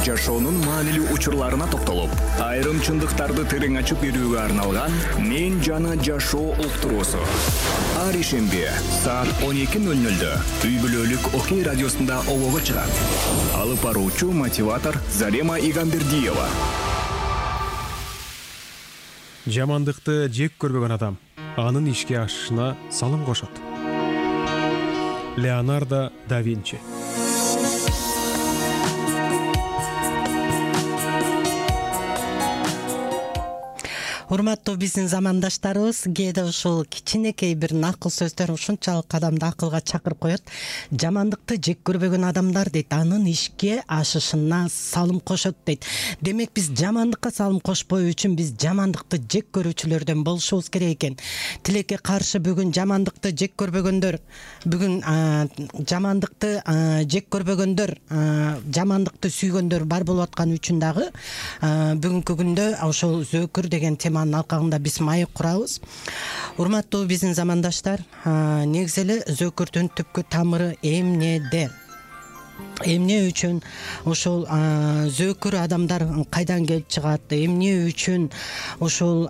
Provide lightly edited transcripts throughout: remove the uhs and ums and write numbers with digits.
жашоонун маанилүү учурларына токтолуп, айрым чындыктарды терең ачып берүүгө арналган «Мен жана жашоо» уктуруусу. Ар ишемби саат 12:00 үй бүлөлүк Окей радиосунда обого чыгат. Алып баруучу мотиватор Зарема Игамбердиева. Жамандыкты жек көрбөгөн адам анын ишке ашышына салым кошот. Леонардо да Винчи. Урматтуу биздин замандаштарыбыз, кээде ушул кичинекей бир накыл сөздөр ушунчалык адамды акылга чакырып коет. Жамандыкты жек көрбөгөн адамдар дейт, анын ишке ашышына салым кошот дейт. Демек биз жамандыкка салым кошпоо үчүн биз жамандыкты жек көрүүчүлөрдөн болушубуз керек экен. Тилекке каршы бүгүн жамандыкты жек көрбөгөндөр, жамандыкты жек көрбөгөндөр, жамандыкты сүйгөндөр бар болуп аткан үчүн дагы бүгүнкү күндө ошол зөөкүр деген теманын алкагында биз маек курабыз. Урматтуу биздин замандаштар, негизи эле зөөкүрдүн түпкү тамыры эмнеде? Эмне үчүн ошол зөөкүр адамдар кайдан келип чыгат? Эмне үчүн ошол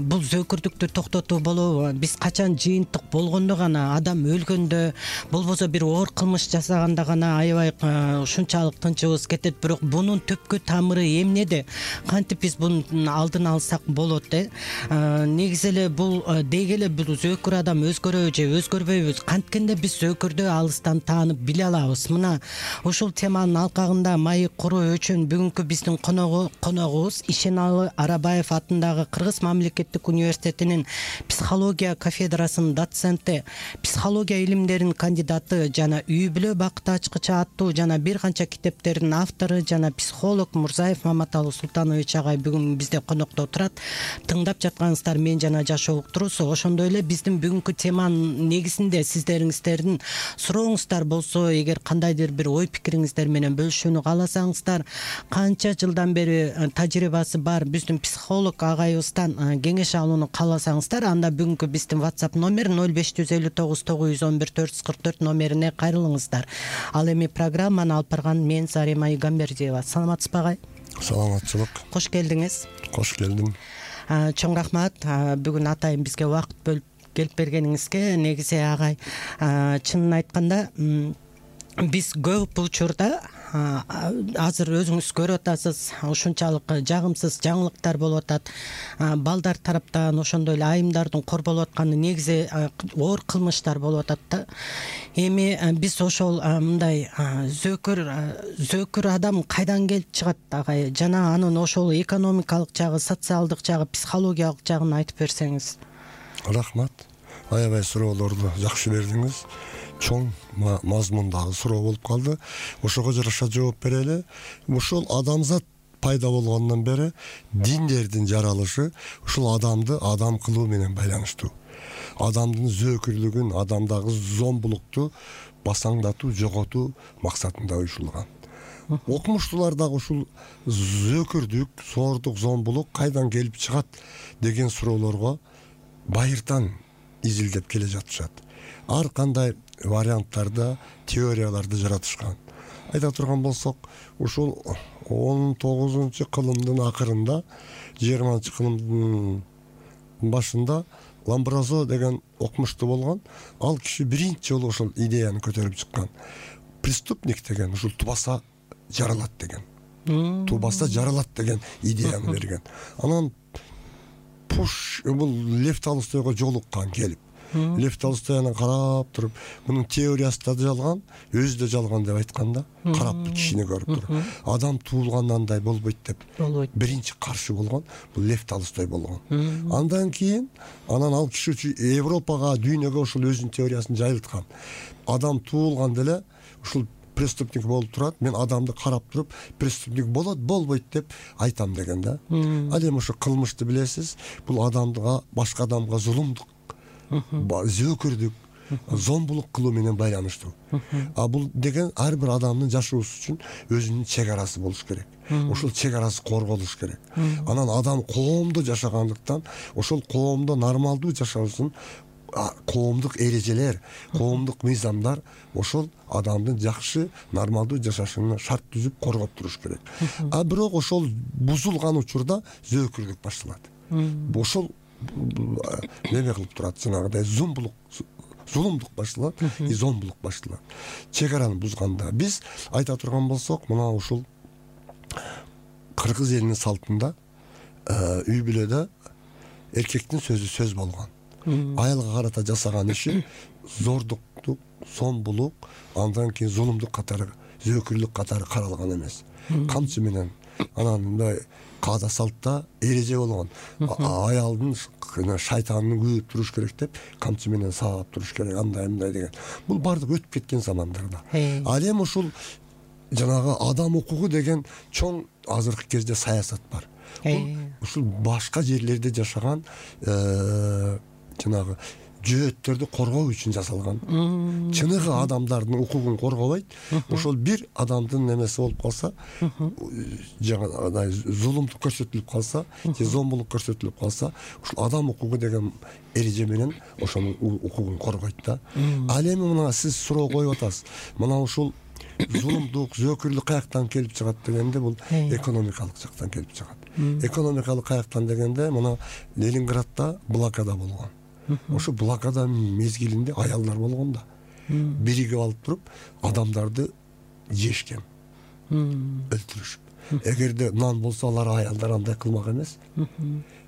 бул зөөкүрдүктү токтотуу болобу? Биз качан жыйынтык болгондо гана, адам өлгөндө, болбосо бир оор кылмыш жасаганда гана аябай ушунчалык тынчыбыз кетет. Бирок бунун түпкү тамыры эмнеде? Кантип биз бунун алдын алсак болот? Негизи эле бул дегеле бул зөөкүр адам өзгөрөбү же өзгөрбөйбүз? Канткенде биз зөөкүрдү алыстан таанып биле алабыз? Мына ушул теманын алкагында маек куруу үчүн бүгүнкү биздин коногубуз Ишеналы Арабаев атындагы Кыргыз мамлекеттик университетинин психология кафедрасынын доценти, психология илимдеринин кандидаты жана үй бүлө бакыты ачкычы аттуу жана бир канча китептердин автору жана психолог Мурзаев Маматалы Султанович агай бүгүн бизде конокто отурат. Тыңдап жатканыңыздар «Мен жана жашоо» уктуруусу. Ошондой эле биздин бүгүнкү теманын негизинде сиздериңиздердин сурооңуздар болсо, эгер кандайдыр бир ой пикириңиздер менен бөлүшүүнү кааласаңыздар, канча жылдан бери тажрыйбасы бар биздин психолог агайыбыздан кеңеш алууну кааласаңыздар, анда бүгүнкү биздин WhatsApp номер 0559 911 444 номерине кайрылыңыздар. Ал эми программаны алып барган мен Зарема Игамбердиева. Саламатсызбы агай? Саламатчылык. Кош келдиңиз. Кош келдим. Чоң рахмат бүгүн атайын бизге убакыт бөлүп келип бергениңизге. Негизи агай, чынын айтканда биз көп учурда азыр өзүңүз көрүп атасыз, ушунчалык жагымсыз жаңылыктар болуп атат. Балдар тараптан ошондой эле айымдардын корболуп атканы негизи оор кылмыштар болуп атат да. Эми биз ошол мындай зөөкүр адам кайдан келип чыгат агай? Жана анын ошол экономикалык жагы, социалдык жагы, психологиялык жагын айтып берсеңиз. Рахмат. Аябай суроолорду жакшы бердиңиз. Чоң мазмундагы суроо болуп калды. Ошого жараша жооп берели. Ушул адамзат пайда болгондон бери диндердин жаралышы ушул адамды адам кылуу менен байланыштуу. Адамдын зөөкүрлүгүн, адамдагы зомбулукту басаңдатуу, жоготуу максатында уюшулган. Окумуштуулар дагы ушул зөөкүрдүк, соордук, зомбулук кайдан келип чыгат деген суроолорго байыртан изилдеп келе жатышат. Ар кандай варианттарда, теорияларды жаратышкан. Айта турган болсок, ушул 19-кылымдын акырында, 20-кылымдын башында Ламбразо деген окумуштуу болгон. Ал киши биринчи жолу ошол идеяны көтөрүп чыккан. Преступник деген ушул тубаса жаралат деген. Тубаса жаралат деген идеяны берген. Анан бул Лев Толстойго жолуккан келип. Лев Толстой анан карап туруп, мунун теориясы да жалган, өзү да жалган деп айтканда, карап кишини көрүп туруп, адам туулгандан андай болбойт деп биринчи каршы болгон бул Лев Толстой болгон. Андан кийин ал киши Европага, дүйнөгө ошол өзүнүн теориясын жайылткан. Адам туулган деле ушул преступник болуп турат, мен адамды карап туруп, преступник болот, болбойт деп айтам деген да. Ал эми ошо кылмышты билесиз, бул адамга, башка адамга зулумдук, зөөкүрдүк, зомбулук кылуу менен байланыштуу. Бул деген ар бир адамдын жашоосу үчүн өзүнүн чек арасы болуш керек. Ошол чек арасы корголуш керек. Анан адам коомдо жашагандыктан, ошол коомдо нормалдуу жашоо үчүн коомдук эрежелер, коомдук мыйзамдар ошол адамдын жакшы нормалдуу жашашына шарт түзүп коргоп туруш керек. А бирок ошол бузулган учурда зөөкүрлүк башталат. Ошол неме кылып турат, жанагыдай зулумдук башталат, зомбулук башталат. Чек араны бузганда биз айта турган болсок, мына ушул кыргыз элинин салтында үй бүлөдө эркектин сөзү сөз болгон. Аялга карата жасаган иши зордуктук, сомбулук, андан кийин зулумдук катары, зөөкүрлүк катары каралган эмес. Камчы менен анан мындай каада салтта эреже болгон. Аялдын шайтанын күйүп туруш керек деп камчы менен саап туруш керек, андай мындай деген. Бул бардык өтүп кеткен замандарда. Ал эми ушул жанагы адам укугу деген чоң азыркы кезде саясат бар. Ушул башка жерлерде жашаган жанагы жөөттөрдү коргоо үчүн жасалган. Чыныгы адамдардын укугун коргобойт. Ошол бир адамдын немеси болуп калса, жаңагыдай зулумдук көрсөтүлүп калса, же зомбулук көрсөтүлүп калса, ушул адам укугу деген эреже менен ошонун укугун коргойт да. Ал эми мына сиз суроо коюп атасыз. Мына ушул зулумдук, зөөкүрлүк каяктан келип чыгат дегенде, бул экономикалык жактан келип чыгат. Экономикалык каяктан дегенде, мына Ленинградда блокада болгон. Ошо блокада мезгилинде аялдар болгон да. Биригип алып туруп адамдарды жешкен, өлтүрүшүп. Эгерде нан болсо, алар аялдар андай кылмак эмес.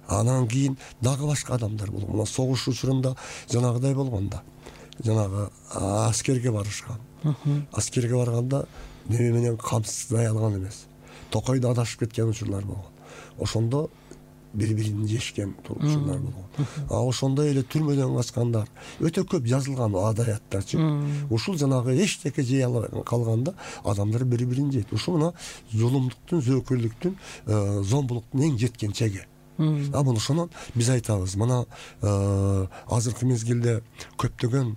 Анан кийин дагы башка адамдар болгон. Мына согуш учурунда жанагыдай болгон да. Жанагы аскерге барышкан. Аскерге барганда неме менен камсыздай алган эмес. Токойдо адашып кеткен учурлар болгон. Ошондо бири-бирин жешкен учурлар болгон. Ошондой эле түрмөдөн качкандар өтө көп жазылган адаяттарчы. Ушул жанагы эчтеке жей албай калганда адамдар бири-бирин жейт. Ушул мына зулумдуктун, зөөкүрлүктүн, зомбулуктун эң жеткен чеги. Мына ошонон биз айтабыз, мына азыркы мезгилде көптөгөн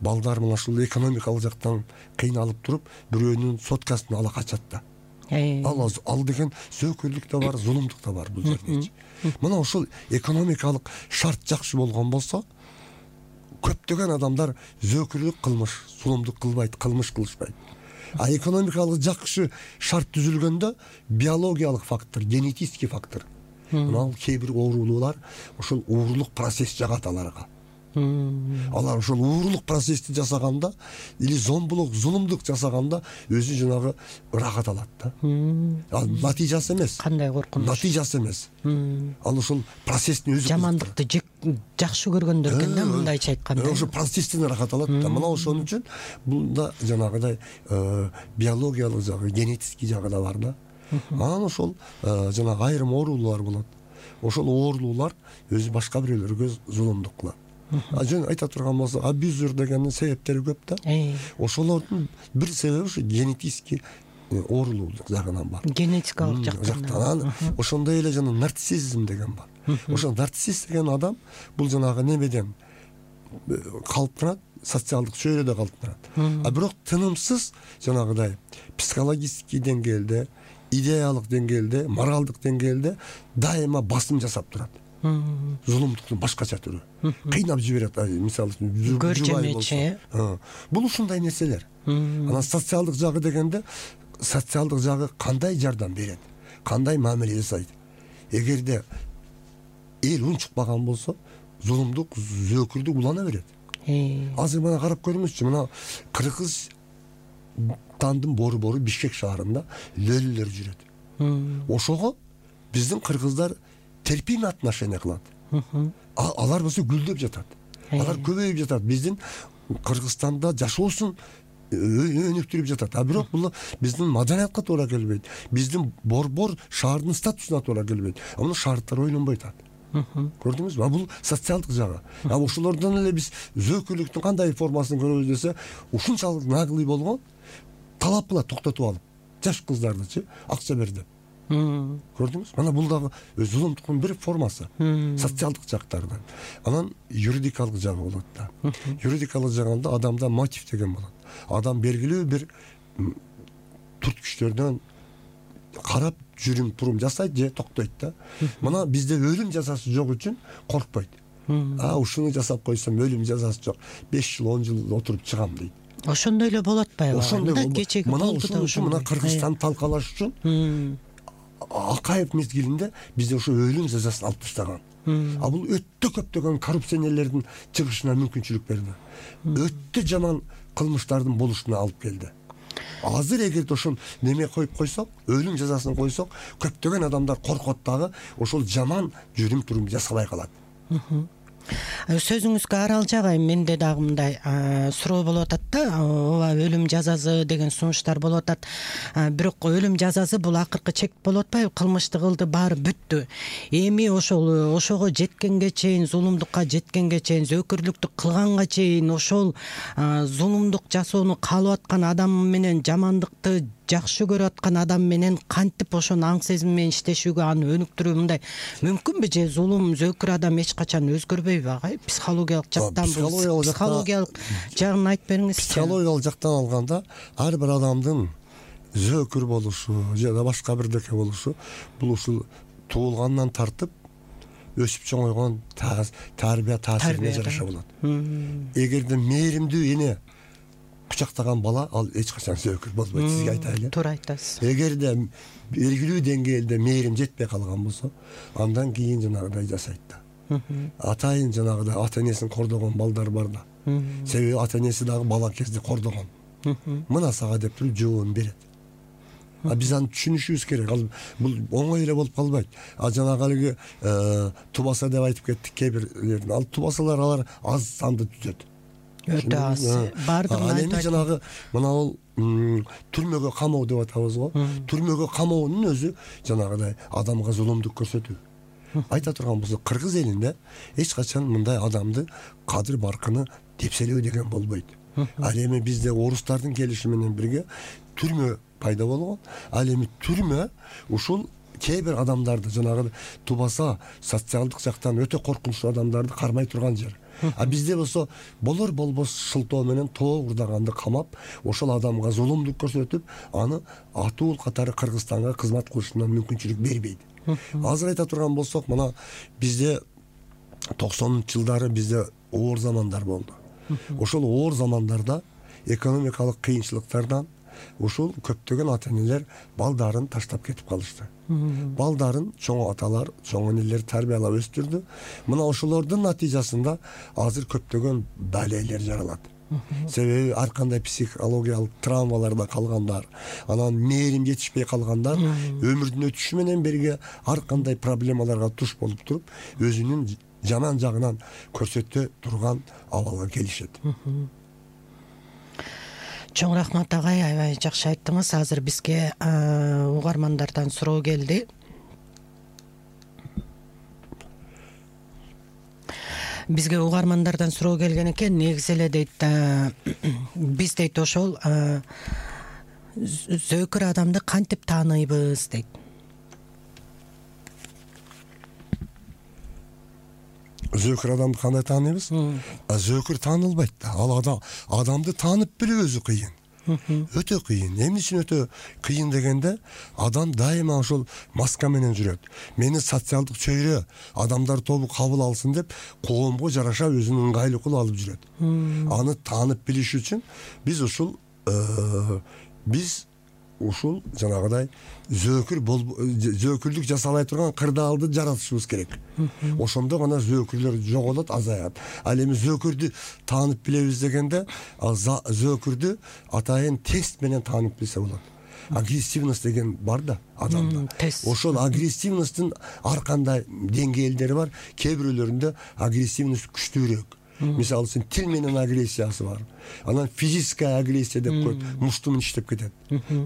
балдар мына ушул экономикалык жактан кыйналып туруп, бирөөнүн соткасын ала качат да. Ал деген зөөкүрлүк да бар, зулумдук да бар бул жерде. Мына ушул экономикалык шарт жакшы болгон болсо, көптөгөн адамдар зөөкүрлүк кылмыш, зулумдук кылбайт, кылмыш кылышпайт. А экономикалык жакшы шарт түзүлгөндө биологиялык фактор, генетический фактор. Мына кээ бир оорулуулар ушул уурлук процесс жагат аларга. Алар ошол уурлук процессти жасаганда или зомбулук, зулумдук жасаганда өзү жанагы ырахат алат да. Ал натыйжасы эмес. Кандай коркунуч. Натыйжасы эмес. Ал ошол процесстин өзү. Жамандыкты жакшы көргөндөр экен да, мындайча айтканда. Ошо процесстин ырахат алат да. Мына ошон үчүн бунда жанагыдай биологиялык жагы, генетический жагы да бар да. Анан ошол жанагы айрым оорулуулар болот. Ошол оорулуулар өзү башка бирөөлөргө зулумдук кылат. Жөн айта турган болсо, абьюзер дегендин себептери көп да. Ошолордун бир себеби ушу генетический оорулуулук жагынан бар. Генетикалык жактан. Ошондой эле жана нарциссизм деген бар. Ошо нарцисс деген адам бул жанагы немеден калыптанат, социалдык чөйрөдө калыптанат. А бирок тынымсыз жанагыдай психологический деңгээлде, идеялык деңгээлде, моралдык деңгээлде дайыма басым жасап турат. Зулумдуктун башкача түрү. Кыйнап жиберет, мисалы үчүн көрчөмөчү. Бул ушундай нерселер. Анан социалдык жагы дегенде, социалдык жагы кандай жардам берет, кандай мамиле жасайт. Эгерде эл унчукпаган болсо, зулумдук, зөөкүрдүк улана берет. Азыр мына карап көрүңүзчү, мына Кыргызстандын борбору Бишкек шаарында лөлүлөр жүрөт. Ошого биздин кыргыздар терпимый отношение кылат. Алар болсо гүлдөп жатат. Алар көбөйүп жатат. Биздин Кыргызстанда жашоосун өнүктүрүп жатат. А бирок бул биздин маданиятка туура келбейт. Биздин борбор шаардын статусуна туура келбейт. Муну шаардтар ойлонбойт. Көрдүңүзбү? Бул социалдык жагы. Ошолордон эле биз зөөкүрлүктүн кандай формасын көрөбүз десе, ушунчалык наглый болгон, талап кылат токтотуп алып. Жаш кыздардычы акча бер деп. Көрдүңүз? Мана бул дагы зулумдуктун бир формасы. Социалдык жактардан. Анан юридикалык жагы болот да. Юридикалык жагында адамда мотив деген болот. Адам белгилүү бир түрткүчтөрдөн карап жүрүм турум жасайт же токтойт да. Мына бизде өлүм жазасы жок үчүн коркпойт. ушуну жасап койсом өлүм жазасы жок, 5 жыл 10 жыл отуруп чыгам дейт. Ошондой эле болуп атпайбы? Ошондой кечеги мына болду да ошон мына Кыргызстанды талкалаш үчүн Акаев мезгилинде бизде ошо өлүм жазасын алып таштаган. Бул өтө көптөгөн коррупционерлердин чыгышына мүмкүнчүлүк берди. Өтө жаман кылмыштардын болушуна алып келди. Азыр эгерде ошол неме коюп койсок, өлүм жазасын койсок, көптөгөн адамдар коркот дагы, ошол жаман жүрүм турум жасабай калат. Сөзүңүзгө арал жагайм, менде дагы мындай суроо болуп атат да, ооба өлүм жазасы деген сунуштар болуп атат. Бирок өлүм жазасы бул акыркы чек болуп атпайбы? Кылмышты кылды, баары бүттү. Эми ошого жеткенге чейин, зулумдукка жеткенге чейин, зөөкүрлүктү кылганга чейин ошол зулумдук жасоону каалап аткан адам менен, жамандыкты жакшы көрүп аткан адам менен кантип ошону аң сезим менен иштешүүгө, аны өнүктүрүү мындай мүмкүнбү? Же зулум, зөөкүр адам эч качан өзгөрбөйбү агай? Психологиялык жактан, психологиялык жагын айтып бериңизчи. Психологиялык жактан алганда, ар бир адамдын зөөкүр болушу же да башка бирдеке болушу бул ушул туулгандан тартып өсүп чоңойгон тарбия таасирине жараша болот. Эгерде мээримдүү эне кучактаган бала, ал эч качан зөөкүр болбойт, сизге айтайлы. Туура айтасыз. Эгерде белгилүү деңгээлде мээрим жетпей калган болсо, андан кийин жанагыдай жасайт да. Атайын жанагыдай ата энесин кордогон балдар бар да. Себеби ата энеси дагы бала кезде кордогон. Мына сага деп туруп жообун берет. Биз аны түшүнүшүбүз керек. Ал бул оңой эле болуп калбайт. Жанагы алыгы тубаса деп айтып кеттик кээ-бирлердин. Ал тубасалар алар аз санды түзөт. Өтө аз. Бардыгын айтып. Эми жанагы мына ал түрмөгө камоо деп атабыз го. Түрмөгө камоонун өзү жанагыдай адамга зулумдук көрсөтүү. Айта турган болсо, кыргыз элинде эч качан мындай адамды кадыр баркыны тепселөө деген болбойт. Ал эми бизде орустардын келиши менен бирге түрмө пайда болгон. Ал эми түрмө ушул кээ бир адамдарды жанагы тубаса, социалдык жактан өтө коркунучтуу адамдарды кармай турган жер. Бизде болсо болор болбос шылтоо менен тоо урдаганды камап, ошол адамга зулумдук көрсөтүп, аны атуул катары Кыргызстанга кызмат кылышына мүмкүнчүлүк бербейт. Азыр айта турган болсок, мына бизде 90-жылдары бизде оор замандар болду. Ошол оор замандарда экономикалык кыйынчылыктардан ушул көптөгөн ата энелер балдарын таштап кетип калышты. Балдарын чоң аталар, чоң энелер тарбиялап өстүрдү. Мына ошолордун натыйжасында азыр көптөгөн далейлер жаралат. Себеби ар кандай психологиялык травмаларда калгандар, анан мээрим жетишпей калгандар өмүрдүн өтүшү менен бирге ар кандай проблемаларга туш болуп туруп, өзүнүн жаман жагынан көрсөтө турган абалга келишет. Чоң рахмат агай, аябай жакшы айттыңыз. Азыр бизге угармандардан суроо келди. Бизге угармандардан суроо келген экен. Негизи эле дейт, биз дейт ошол зөөкүр адамды кантип тааныйбыз дейт. Зөөкүр адамды кандай тааныйбыз? Зөөкүр таанылбайт да. Ал адамды таанып билүү өзү кыйын. Өтө кыйын. Эмне үчүн өтө кыйын дегенде, адам дайыма ошол маска менен жүрөт. Мени социалдык чөйрө адамдар тобу кабыл алсын деп, коомго жараша өзүнүн ыңгайлуу кылып алып жүрөт. Аны таанып билиш үчүн биз ушул жанагыдай зөөкүрлүк жасалбай турган кырдаалды жаратышыбыз керек. Ошондо гана зөөкүрлөр жоголот, азаят. Ал эми зөөкүрдү таанып билебиз дегенде, зөөкүрдү атайын тест менен таанып билсе болот. Агрессивность деген бар да адамда. Ошол агрессивностьтун ар кандай деңгээлдери бар. Кээ бирөөлөрүндө агрессивность күчтүүрөөк. Мисалы үчүн тил менен агрессиясы бар. Анан физическая агрессия деп коет, мушту менен иштеп кетет.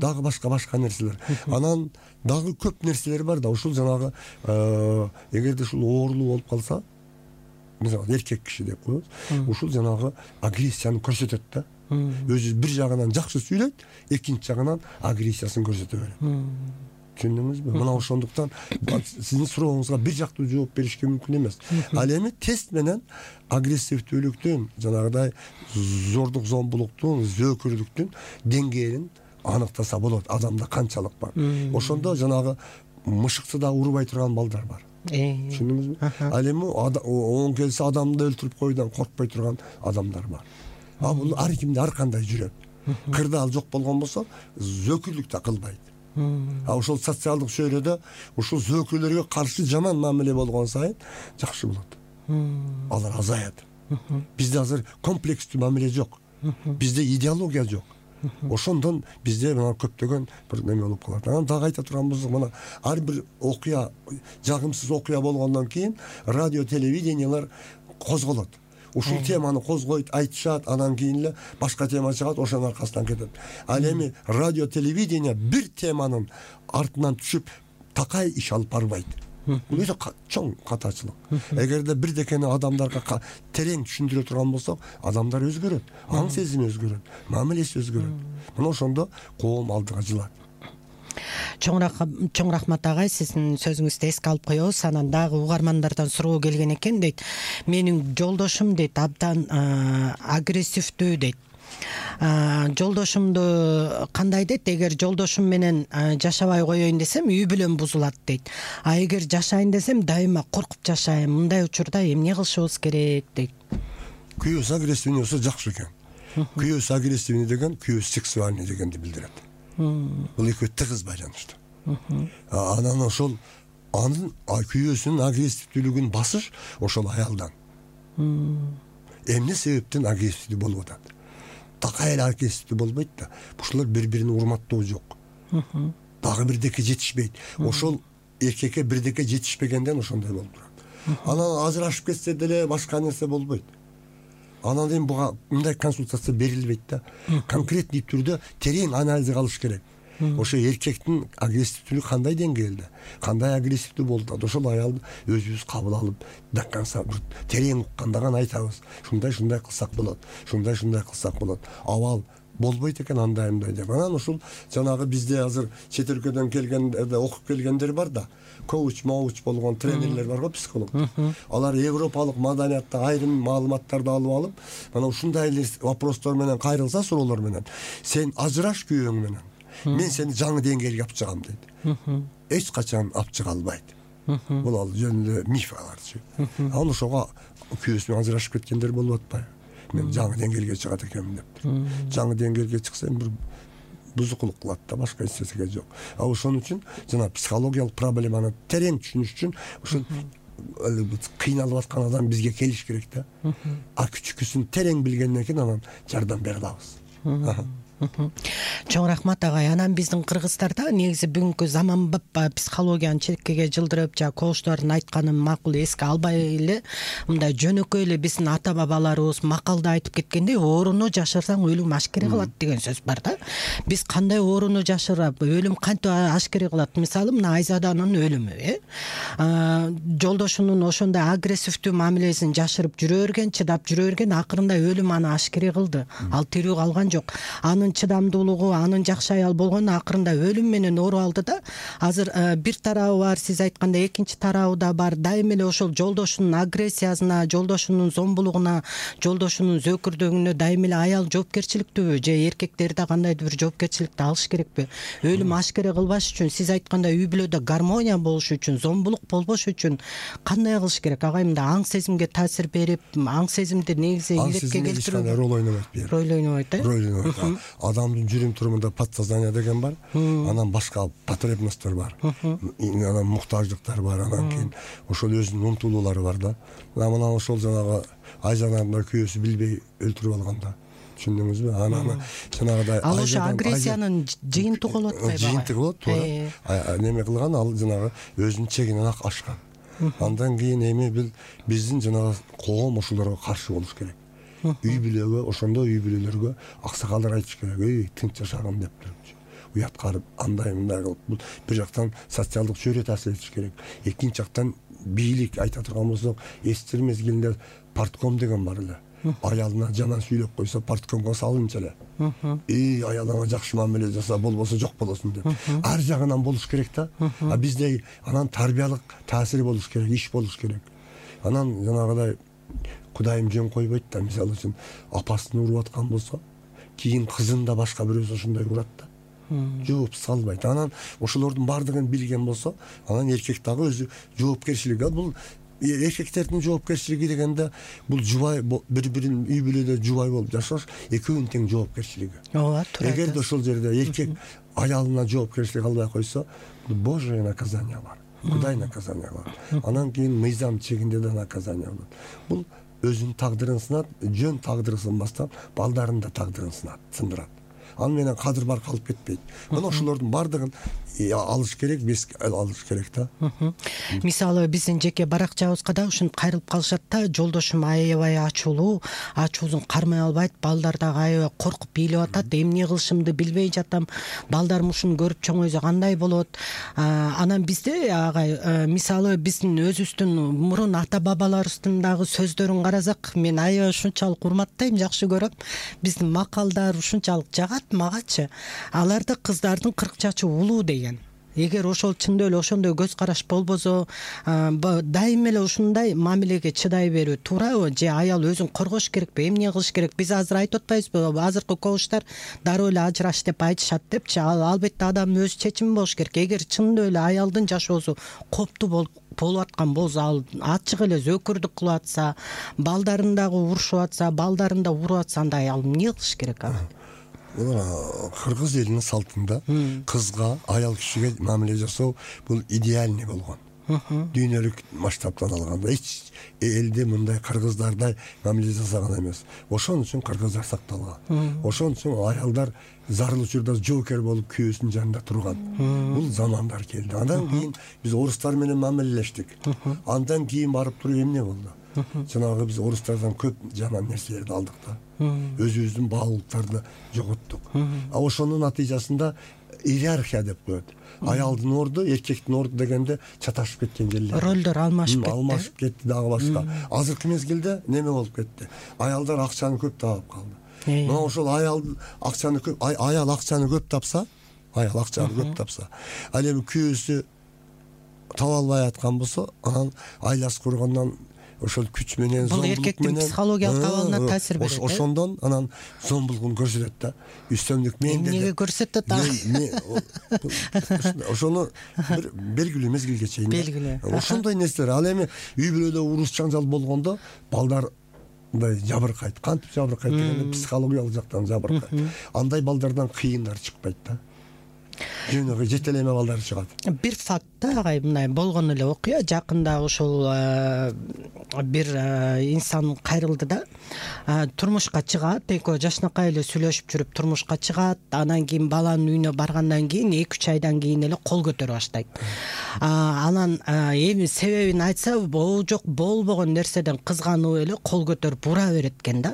Дагы башка нерселер. Анан дагы көп нерселер бар да. Ушул жанагы эгерде ушул оорулуу болуп калса, мисалы эркек киши деп коебуз, ушул жанагы агрессияны көрсөтөт да. Өзү бир жагынан жакшы сүйлөйт, экинчи жагынан агрессиясын көрсөтө берет. Түшүндүңүзбү? Мына ошондуктан сиздин сурооңузга бир жактуу жооп беришке мүмкүн эмес. Ал эми тест менен агрессивдүүлүктүн, жанагыдай зордук зомбулуктун, зөөкүрлүктүн деңгээлин аныктаса болот. Адамда канчалык бар. Ошондо жанагы мышыкты да урбай турган балдар бар. түшүндүңүзбү? Ал эми оң келсе адамды өлтүрүп коюудан коркпой турган адамдар бар. Бул ар кимде ар кандай жүрөт. Кырдаал жок болгон болсо зөкүрлүк да кылбайт. Ошол социалдык чөйрөдө ушул зөкүрлөргө каршы жаман мамиле болгон сайын жакшы болот. Алар азаят. Бизде азыр комплекстүү мамиле жок. Бизде идеология жок. Ошондон бизде мына көптөгөн бир неме болуп калат. Анан дагы айта турган болсок, мына ар бир окуя, жагымсыз окуя болгондон кийин радио, телевидениялар козголот. Ушул теманы козгойт, айтышат, анан кийин эле башка тема чыгат, ошонун аркасынан кетет. Ал эми радио, телевидение бир теманын артынан түшүп такай иш алып барбайт. Бул өтө чоң катачылык. Эгерде бирдекени адамдарга терең түшүндүрө турган болсок, адамдар өзгөрөт, аң сезими өзгөрөт, мамилеси өзгөрөт. Мына ошондо коом алдыга жылат. Чоң рахмат агай, сиздин сөзүңүздү эске алып коебуз. Анан дагы угармандардан суроо келген экен дейт. Менин жолдошум дейт абдан агрессивдүү дейт. Жолдошумду кандай дейт? Эгер жолдошум менен жашабай коеюн десем, үй бүлөм бузулат дейт. А эгер жашайын десем, дайыма коркуп жашайм. Мындай учурда эмне кылышыбыз керек дейт. Күйөөсү агрессивный болсо жакшы экен. Күйөөсү агрессивный деген күйөөсү сексуальный дегенди билдирет. Бул экөө тыгыз байланыштуу. Анан ошол анын күйөөсүнүн агрессивдүүлүгүн басыш ошол аялдан. Эмне себептен агрессивдүү болуп атат? Такай эле агрессивдүү болбойт да. Ушулар бири-бирин урматтоо жок. Дагы бирдеке жетишпейт. Ошол эркекке бирдеке жетишпегенден ошондой болуп турат. Анан ажырашып кетсе деле башка нерсе болбойт. Анан эми буга мындай консультация берилбейт да. Конкретный түрдө терең анализ кылыш керек. Ошо эркектин агрессивдүүлүгү кандай деңгээлде, кандай агрессивдүү болуп, ошол аялды өзүбүз кабыл алып, до конца терең уккандаган айтабыз. Шундай кылсак болот, шундай кылсак болот. Абал болбойт экен андай деп. Анан ушул жанагы бизде азыр чет өлкөдөн келгендер, окуп келгендер бар да. Коуч болгон тренерлер бар го, психолог. Алар европалык маданиятта айрым маалыматтарды алып, мына ушундай вопростор менен кайрылса, суроолор менен, сен ажыраш күйөөң менен, мен сени жаңы деңгээлге алып чыгам дейт. Эч качан алып чыга албайт. Бул ал жөн эле миф аларчы. Анан ошого күйөөсү менен ажырашып кеткендер болуп атпайбы? Мен жаңы деңгээлге чыгат экенмин деп. Жаңы деңгээлге чыксам бир бузукулук кылат да, башка эч нерсеге жок. Ошон үчүн жана психологиялык проблеманы терең түшүнүш үчүн ушул кыйналып аткан адам бизге келиш керек да. Күчүкүсүн терең билгенден кийин анан жардам бере алабыз. Чоң рахмат агай. Анан биздин кыргыздарда негизи бүгүнкү заманбап психологияны четкеге жылдырып, коочдордун айтканын макул эске албай эле, мындай жөнөкөй эле биздин ата бабаларыбыз макалда айтып кеткендей, ооруну жашырсаң өлүм ашкере кылат деген сөз бар да. Биз кандай ооруну жашырып, өлүм кантип ашкере кылат? Мисалы, мына Айзаданын өлүмү, жолдошунун ошондой агрессивдүү мамилесин жашырып жүрө берген, чыдап жүрө берген, акырында өлүм аны ашкере кылды. Ал тирүү калган жок. Анын чыдамдуулугу, анын жакшы аял болгону акырында өлүм менен ооруп алды да. Азыр бир тарабы бар, сиз айткандай, экинчи тарабы да бар. Дайыма эле ошол жолдошунун агрессиясына, жолдошунун зомбулугуна, жолдошунун зөкүрдүгүнө дайыма эле аял жоопкерчиликтүүбү же эркектер да кандайдыр бир жоопкерчиликти алыш керекпи? Өлүм ашкере кылбаш үчүн, сиз айткандай, үй бүлөдө гармония болуш үчүн, зомбулук болбош үчүн кандай кылыш керек? Агай, мында аң сезимге таасир берип, аң сезимди негизи илетке келтирүү. Роль ойнобойт. Роль ойнобойт. Адамдын жүрүм турумунда подсознание деген бар, анан башка потребностьтор бар, анан муктаждыктар бар, анан кийин ошол өзүнүн умтулуулары бар да. Мына ошол жанагы Айзананы күйөөсү билбей өлтүрүп алганда, түшүндүңүзбү? Анан жанагыдай ал ошо агрессиянын жыйынтыгы болуп атпайбы? Жыйынтыгы болот, туура. Неме кылган, ал жанагы өзүнүн чегинен ашкан. Андан кийин эми биздин жанагы коом ошолорго каршы болуш керек. Үй бүлөгө, ошондо үй бүлөлөргө аксакалдар айтыш керек, тынч жашагын деп турчу. Уят карып, андай мындай кылып, бул бир жактан социалдык чөйрө таасир этиш керек. Экинчи жактан бийлик айта турган болсок, эстер мезгилинде партком деген бар эле. Аялына жаман сүйлөп койсо, парткомго салынчу эле. Аялыңа жакшы мамиле жаса, болбосо жок болосуң деп. Ар жагынан болуш керек да. Бизде анан тарбиялык таасири болуш керек, иш болуш керек. Анан жанагыдай Кудайым жөн койбойт да, мисалы үчүн апасын уруп аткан болсо, кийин кызын да башка бирөөсү ошондой урат да. жооп салбайт. Анан ошолордун баардыгын билген болсо, анан эркек дагы өзү жоопкерчилик. Бул эркектердин жоопкерчилиги дегенде бул жубай бири-бирин үй бүлөдө жубай болуп жашаш, экөөнүн тең жоопкерчилиги. Ооба, туура. Эгерде ошол жерде эркек аялына жоопкерчилик албай койсо, божье наказание бар. Кудай наказание бар. Анан кийин мыйзам чегинде да наказание болот. Бул өзүнүн тагдырын сынат, жөн тагдыры сынбастан балдарын да тагдырын сындырат. Ал менен кадыр бар калып кетпейт. Мына ошолордун баардыгын алыш керек, бес алыш керек да. Мисалы биздин жеке баракчабызга да ушинтип кайрылып калышат да, жолдошум аябай ачуусун кармай албайт, балдар дагы аябай коркуп бийлеп атат, эмне кылышымды билбей жатам, балдарым ушуну көрүп чоңойсо кандай болот. Анан бизде агай мисалы биздин өзүбүздүн мурун ата бабаларыбыздын дагы сөздөрүн карасак, мен аябай ушунчалык урматтайм, жакшы көрөм. Биздин макалдар ушунчалык жагат магачы. Аларда кыздардын 40 чачы улуу деген. Эгер ошол чындап эле ошондой көз караш болбосо, дайым эле ушундай мамилеге чыдай берүү туурабы же аял өзүн коргош керекпи, эмне кылыш керек? Биз азыр айтып атпайбызбы, азыркы коуштар дароо эле ажыраш деп айтышат депчи. Албетте адамдын өз чечими болуш керек. Эгер чындап эле аялдын жашоосу коптуу болуп аткан болсо, ал ачык эле зөөкүрдүк кылып атса, балдарын дагы урушуп атса, балдарын да уруп атса, анда аял эмне кылыш керек? Кыргыз элинин салтында кызга, аял кишиге мамиле жасоо бул идеальный болгон. Дүйнөлүк масштабтан алганда эч элде мындай кыргыздардай мамиле жасаган эмес. Ошон үчүн кыргыздар сакталган. Ошон үчүн аялдар зарыл учурда жоокер болуп күйөөсүнүн жанында турган. Бул замандар келди. Андан кийин биз орустар менен мамилелештик. Андан кийин барып туруп эмне болду? Жанагы биз орустардан көп жаман нерселерди алдык да. Өзүбүздүн баалуулуктарды жоготтук. Ошонун натыйжасында иерархия деп коет. Аялдын орду, эркектин орду дегенде чаташып кеткен жерлер. Ролдор алмашып кетти дагы башка. Азыркы мезгилде неме болуп кетти? Аялдар акчаны көп таап калды. Мына ошол аял акчаны көп тапса, ал эми күйөөсү таба албай аткан болсо, анан айласы кургандан ошол күч менен, бул эркектин психологиялык абалына таасир берет. Ошондон анан зомбулугун көрсөтөт да. Үстөмдүк менде. Эмнеге көрсөтөт? Ошону бир белгилүү мезгилге чейин. Ошондой нерселер. Ал эми үй бүлөдө уруш жаңжал болгондо балдар мындай жабыркайт. Кантип жабыркайт дегенде психологиялык жактан жабыркайт. Андай балдардан кыйындар чыкпайт да. Жөнөкөй жетелеме балдар чыгат. Бир факт да агай, мындай болгон эле окуя. Жакында ошол бир инсан кайрылды да, турмушка чыгат, экөө жашнакай эле сүйлөшүп жүрүп турмушка чыгат. Анан кийин баланын үйүнө баргандан кийин 2-3 айдан кийин эле кол көтөрө баштайт. Анан эми себебин айтса, жок болбогон нерседен кызганып эле кол көтөрүп ура берет экен да.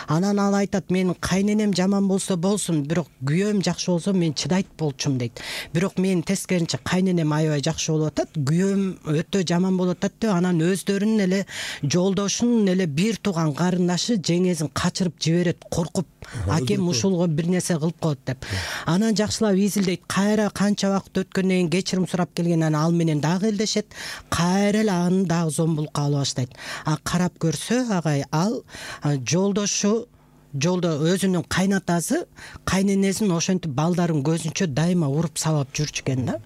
Анан ал айтат, менин кайненем жаман болсо болсун, бирок күйөөм жакшы болсо мен чыдайт болчумун дейт. Бирок мен тескеринче кайненем аябай жакшы болуп атат, күйөөм өтө жаман болуп атат деп, анан өздөрүнүн эле жолдошунун эле бир тууган карындашы жеңесин качырып жиберет, коркуп, акем ушулго бир нерсе кылып коет деп. Анан жакшылап изилдейт, кайра канча убакыт өткөндөн кийин кечирим сурап келген, анан ал менен дагы элдешет, кайра эле аны дагы зомбулукка алып баштайт. Карап көрсө агай, ал жолдо өзүнүн кайнатасы кайненесин ошентип балдарын көзүнчө дайыма уруп сабап жүрчү экен да.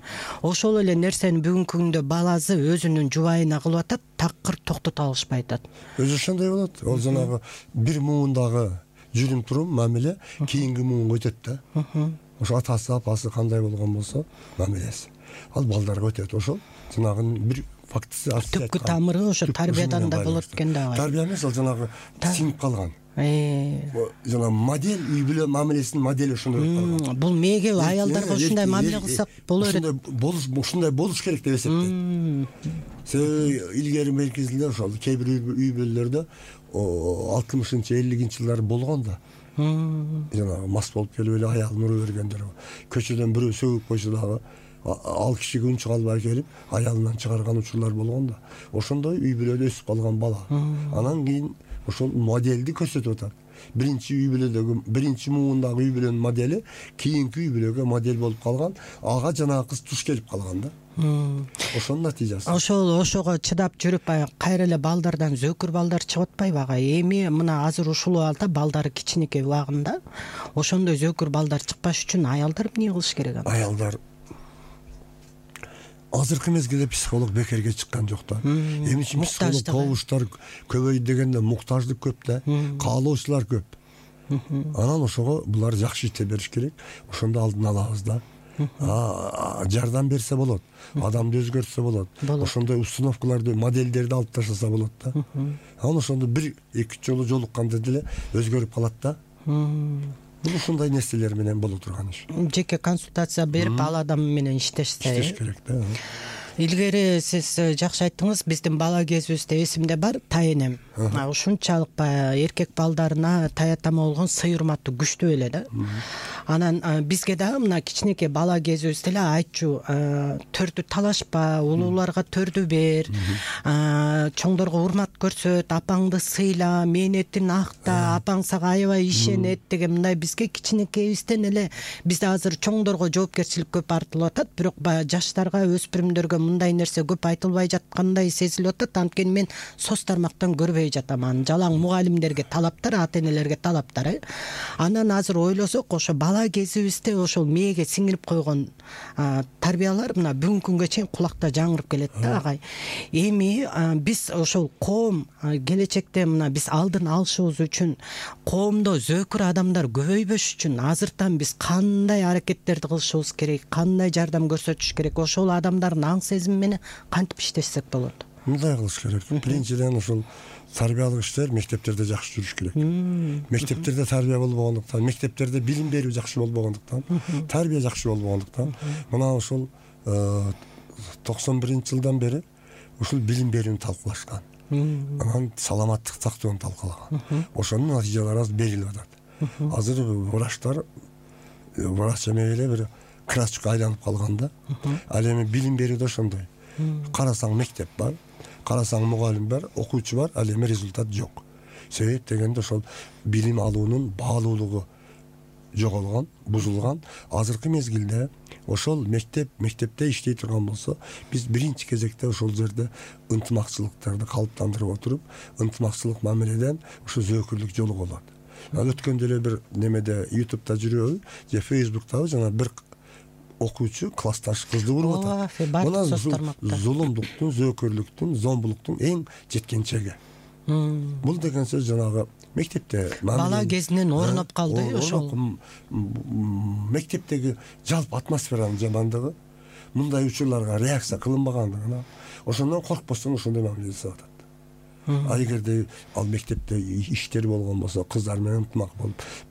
Ошол эле нерсени бүгүнкү күндө баласы өзүнүн жубайына кылып атат, такыр токтото алышпай атат. Өзү ошондой болот. Ол жанагы бир муундагы жүрүм турум мамиле кийинки муунга өтөт да. Ошо атасы, апасы кандай болгон болсо мамилеси, ал балдарга өтөт. Ошол жанагы бир фактысы түпкү тамыры ошо тарбиядан да болот экен да. Тарбия эмес, ал жанагы сиңип калган. Жана модель, үй бүлө мамилесинин модели ошондой болуп калган. Бул мээге аялдарга ушундай мамиле кылсак боло берет. Ушундай болуш керек деп эсептейт. Себеби илгери меркезинде ошол кээ бир үй бүлөлөрдө 60-50-жылдар болгон да. Жана мас болуп келип эле аялын уруп бергендер. Көчөдөн бирөө сөгүп койсо дагы ал кишиге үн чыга албай келип аялынан чыгарган учурлар болгон да. Ошондой үй бүлөдө өсүп калган бала. Анан кийин ошол моделди көрсөтүп атат. биринчи үй бүлөдөгү биринчи муундагы үй бүлөнүн модели кийинки үй бүлөгө модель болуп калган, ага жанагы кыз туш келип калган да. Ошонун натыйжасы. Ошого чыдап жүрүп кайра эле балдардан зөөкүр балдар чыгып атпайбы ага? Эми мына азыр ушул абалда балдары кичинекей убагында ошондой зөөкүр балдар чыкпаш үчүн аялдар эмне кылыш керек анда? Аялдар азыркы мезгилде психолог бекерге чыккан жок да. Эми психолог кобуштар көбөйдү дегенде муктаждык көп да, каалоочулар көп. Анан ошого булар жакшы ите бериш керек. Ошондо алдын алабыз да. Жардам берсе болот, адамды өзгөртсө болот. Ошондой установкаларды, модельдерди алып таштаса болот да. Анан ошондо 1-2 жолу жолукканда деле өзгөрүп калат да. Бул ушундай нерселер менен боло турган иш. Жеке консультация берип ал адам менен иштеш керек да. Илгери сиз жакшы айттыңыз, биздин бала кезибизде эсимде бар, тайэнем ушунчалык эркек балдарына таятама болгон сый урматтуу күчтүү эле да. Анан бизге дагы мына кичинекей бала кезибизде эле айтчу, төрдү талашпа, улууларга төрдү бер, чоңдорго урмат көрсөт, апаңды сыйла, мээнетин акта, апаң сага аябай ишенет деген мындай бизге кичинекейибизден эле бизде азыр чоңдорго жоопкерчилик көп артылып атат, бирок жаштарга, өспүрүмдөргө мындай нерсе көп айтылбай жаткандай сезилип атат. Анткени мен соц тармактан көрбөй жатам аны. Жалаң мугалимдерге талаптар, ата-энелерге талаптар. Анан азыр ойлосок, ошо бала кезибизде ошол мээге сиңирип койгон тарбиялар мына бүгүнкү күнгө чейин кулакта жаңырып келет да агай. Эми биз ошол коом келечекте мына биз алдын алышыбыз үчүн, коомдо зөөкүр адамдар көбөйбөш үчүн азыртан биз кандай аракеттерди кылышыбыз керек, кандай жардам көрсөтүш керек, ошол адамдардын аң сезими менен кантип иштешсек болот? Мындай кылыш керек. Биринчиден ошол тарбиялык иштер мектептерде жакшы жүрүш керек. Мектептерде тарбия болбогондуктан, мектептерде билим берүү жакшы болбогондуктан, тарбия жакшы болбогондуктан, мына ошол 91-жылдан бери ушул билим берүүнү талкуулашкан. Анан саламаттык сактоону талкуулаган. Ошонун натыйжалары азыр берилип атат. Азыр врачтар врач эмес эле бир красочка айланып калган да. Ал эми билим берүүдө ошондой. Карасаң мектеп бар, карасаң мугалим бар, окуучу бар, ал эми результат жок. Себеп дегенде ошол билим алуунун баалуулугу жоголгон, бузулган. Азыркы мезгилде ошол мектепте иштей турган болсо, биз биринчи кезекте ошол жерде ынтымакчылыктарды калыптандырып отуруп, ынтымакчылык мамиледен ошо зөөкүрлүк жолу болот. Өткөндө эле бир немеде YouTube'да жүрөбү же Facebook'табы жана бир окуучу классташ кызды уруп атат. Мына зулумдуктун, зөөкүрлүктүн, зомбулуктун эң жеткен чеги. Бул деген сөз жанагы мектепте бала кезинен орноп калды ошол. Мектептеги жалпы атмосферанын жамандыгы, мындай учурларга реакция кылынбагандыгына, ошондон коркпостон ошондой мамиле жасап атат. Эгерде ал мектепте иштер болгон болсо, кыздар менен ынтымак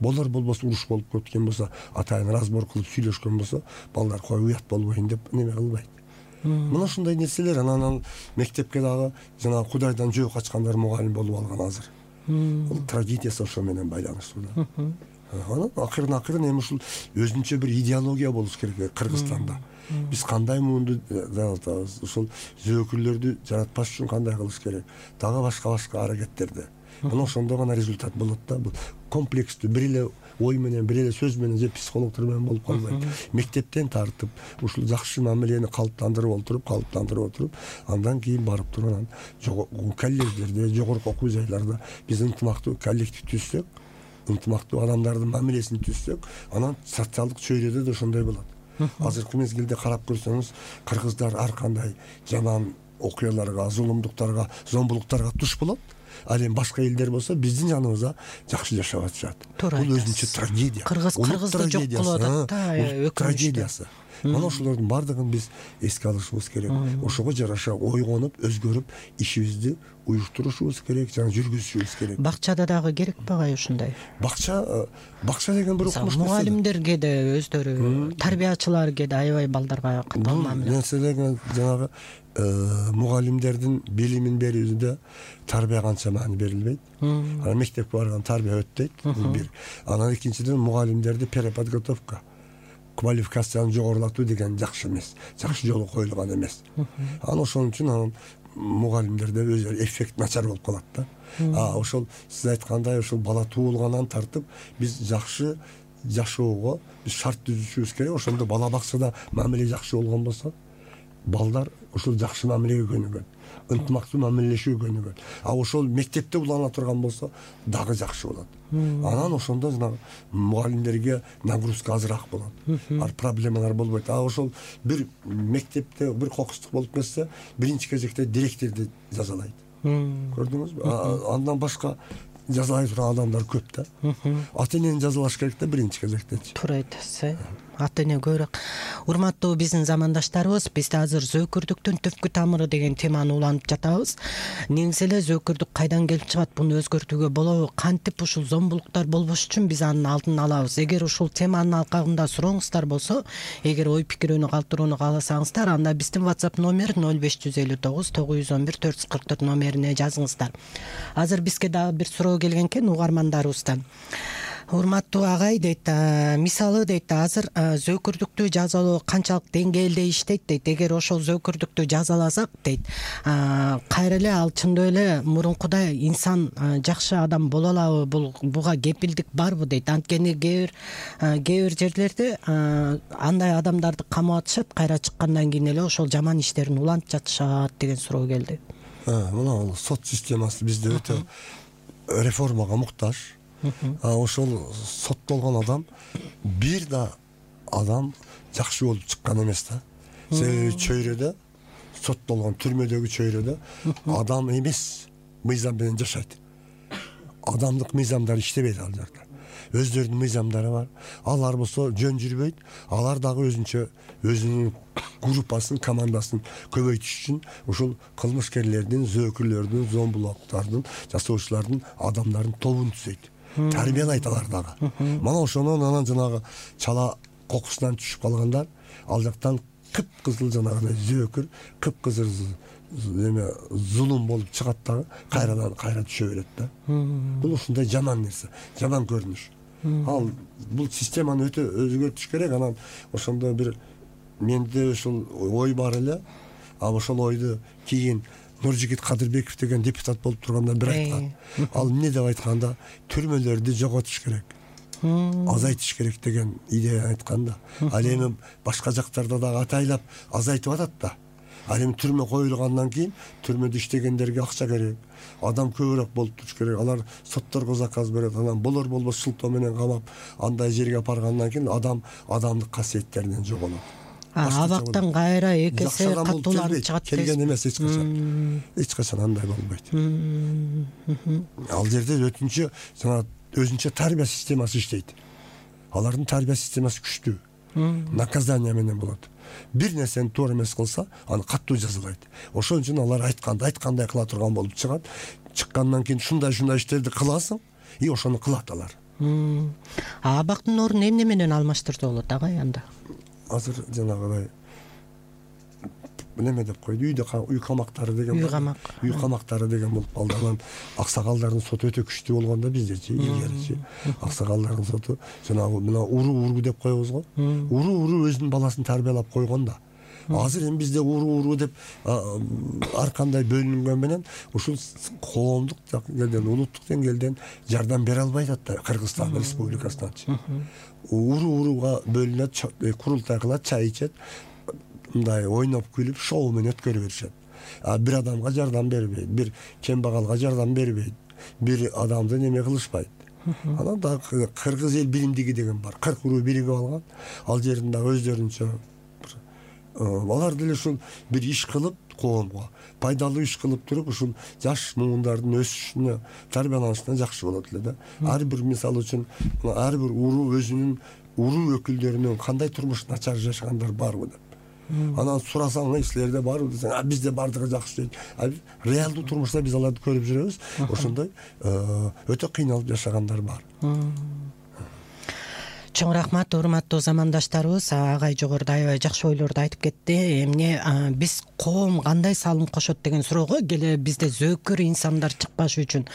болуп, болбосо уруш болуп кеткен болсо, атайын разбор кылып сүйлөшкөн болсо, балдар кой уят болбойн деп неме кылбайт. Мына ушундай нерселер. Анан мектепке дагы жана Кудайдан жөө качкандар мугалим болуп алган азыр. Бул трагедиясы ошо менен байланыштуу да. Анан акырын эми ушул өзүнчө бир идеология болуш керек Кыргызстанда. Биз кандай муунду жаратабыз, ушул зөөкүрлөрдү жаратпаш үчүн кандай кылыш керек, дагы башка аракеттерди. Мына ошондо гана результат болот да. Бул комплекстүү бир эле ой менен, бир эле сөз менен же психологдор менен болуп калбайт. Мектептен тартып, ушул жакшы мамилени калыптандырып отуруп, андан кийин барып турган колледждерде, жогорку окуу жайларда биз ынтымактуу коллектив түзсөк, ынтымактуу адамдардын мамилесин түзсөк, анан социалдык чөйрөдө да ошондой болот. Азыркы мезгилде карап көрсөңүз, кыргыздар ар кандай жаман окуяларга, зулумдуктарга, зомбулуктарга туш болот. Ал эми башка элдер болсо биздин жаныбызда жакшы жашап атышат. Бул өзүнчө трагедия. Кыргызды жок кылып атат да, трагедиясы. Мына ошолордун бардыгын биз эске алышыбыз керек. Ошого жараша ойгонуп, өзгөрүп, ишибизди уюштурушубуз керек, жана жүргүзүшүбүз керек. Бакчада дагы керек багай ушундай. Бакча деген бир укмуш нерсе. Мугалимдерге да өздөрү, тарбиячыларга да аябай балдарга катуу мамиле. Нерселер жанагы мугалимдердин билимин берүүсүндө тарбия канча маани берилбейт. Анан мектепке барган тарбия өтпөйт. Бул бир. Анан экинчиден мугалимдерди переподготовка, квалификацияны жогорулатуу деген жакшы эмес, жакшы жолу коюлган эмес. Анан ошон үчүн мугалимдерде өзү эффект начар болуп калат да. Ошол сиз айткандай ошол бала туулгандан тартып биз жакшы жашоого биз шарт түзүшүбүз керек. Ошондо бала бакчада мамиле жакшы болгон болсо, балдар ошол жакшы мамилеге көнүгөт, ынтымактуу мамилелешүүгө көнүгөт. Ошол мектепте улана турган болсо дагы жакшы болот. Анан ошондо жанагы мугалимдерге нагрузка азыраак болот. Проблемалар болбойт. Ошол бир мектепте бир кокустук болуп кетсе, биринчи кезекте директорду жазалайт. Көрдүңүзбү? Андан башка жазалай турган адамдар көп да. Ата энени жазалаш керек да биринчи кезектечи. Туура айтасыз. Ата эне көбүрөөк. Урматтуу биздин замандаштарыбыз, бизде азыр зөөкүрдүктүн түпкү тамыры деген теманы улантып жатабыз. Негизи эле зөөкүрдүк кайдан келип чыгат, буну өзгөртүүгө болобу, кантип ушул зомбулуктар болбош үчүн биз анын алдын алабыз. Эгер ушул теманын алкагында сурооңуздар болсо, эгер ой пикирүүнү калтырууну кааласаңыздар, анда биздин WhatsApp номер 0559 911 444 номерине жазыңыздар. Азыр бизге дагы бир суроо келген экен угармандарыбыздан. Урматтуу агай дейт, мисалы дейт, азыр зөөкүрдүктү жазалоо канчалык деңгээлде иштейт дейт. Эгер ошол зөөкүрдүктү жазаласак дейт, кайра эле ал чындап эле мурункудай инсан жакшы адам боло алабы? Буга кепилдик барбы дейт. Анткени кээ бир жерлерде андай адамдарды камап атышат, кайра чыккандан кийин эле ошол жаман иштерин улантып жатышат деген суроо келди. Мына сот системасы бизде өтө реформага муктаж. Ошол соттолгон адам бир да адам жакшы болуп чыккан эмес да. Себеби чөйрөдө соттолгон түрмөдөгү чөйрөдө адам эмес мыйзам менен жашайт. Адамдык мыйзамдар иштебейт ал жерде. Өздөрүнүн мыйзамдары бар. Алар болсо жөн жүрбөйт. Алар дагы өзүнүн группасын, командасын көбөйтүш үчүн ушул кылмышкерлердин, зөөкүрлөрдүн, зомбулуктардын, жасоочулардын адамдардын тобун түзөйт. Тарбиялайт алар дагы. Мана ошонун анан жанагы чала кокусунан түшүп калгандар ал жактан кыпкызыл жанагы зөөкүр, кыпкызыл зулум болуп чыгат дагы кайра түшө берет да. Бул ушундай жаман нерсе, жаман көрүнүш. Ал бул системаны өтө өзгөртүш керек. Анан ошондо бир менде ошол ой бар эле. Ошол ойду кийин Нуржигит Кадырбеков деген депутат болуп турганда бир айткан. Ал эмне деп айтканда, түрмөлөрдү жоготуш керек, азайтыш керек деген идея айткан да. Ал эми башка жактарда дагы атайлап азайтып атат да. Ал эми түрмө коюлгандан кийин түрмөдө иштегендерге акча керек, адам көбүрөөк болуп туруш керек. Алар сотторго заказ берет, анан болор болбос шылтоо менен камап андай жерге апаргандан кийин адамдык касиеттеринен жоголот. Абактан кайра эки эсе катууланып чыгат келген эмес эч качан андай болбойт. Ал жерде өтүнчө жана өзүнчө тарбия системасы иштейт. Алардын тарбия системасы күчтүү. Наказание менен болот. Бир нерсени туура эмес кылса, аны каттуу жазалайт. Ошон үчүн алар айткандай кыла турган болуп чыгат. Чыккандан кийин шундай иштерди кыласың, и ошону кылат алар. Абактын ордун эмне менен алмаштырса болот агай анда? Азыр жанагыдай неме деп койду, үй камактары деген бар. Үй камактары деген болуп калды. Анан аксагалдардын соту өтө күчтүү болгондо биздечи, илгеричи аксагалдардын соту жанагы мына уруу деп коебуз го. Уруу өзүнүн баласын тарбиялап койгон да. Азыр эми бизде уруу деп ар кандай бөлүнгөн менен ушул коомдук деңгээлден, улуттук деңгээлден жардам бере албай атат да Кыргызстан Республикасынан. Урууга бөлүнөт, курултай кылат, чай ичет, мындай ойноп күлүп шоу менен өткөрүп беришет. Бир адамга жардам бербейт, бир кембагалга жардам бербейт, бир адамды неме кылышпайт. Анан да Кыргыз эл билимдиги деген бар. 40 уруу биригип алган. Ал жеринде өздөрүнчө алар деле ушул бир иш кылып, коомго пайдалуу иш кылып туруп, ушул жаш муундардын өсүшүнө, тарбияланышына жакшы болот эле да. Ар бир мисал үчүн ар бир уруу өзүнүн уруу өкүлдөрүнүн кандай турмуш начар жашагандар барбы деп. Анан сурасаң, силерде барбы десең, бизде бардыгы жакшы дейт. Реалдуу турмушта биз аларды көрүп жүрөбүз. Ошондой өтө кыйналып жашагандар бар. Чоң рахмат, урматтуу замандаштарыбыз. Агай жогоруда аябай жакшы ойлорду айтып кетти. Эмне биз коом кандай салым кошот деген суроого, келе бизде зөөкүр инсандар чыкпашы үчүн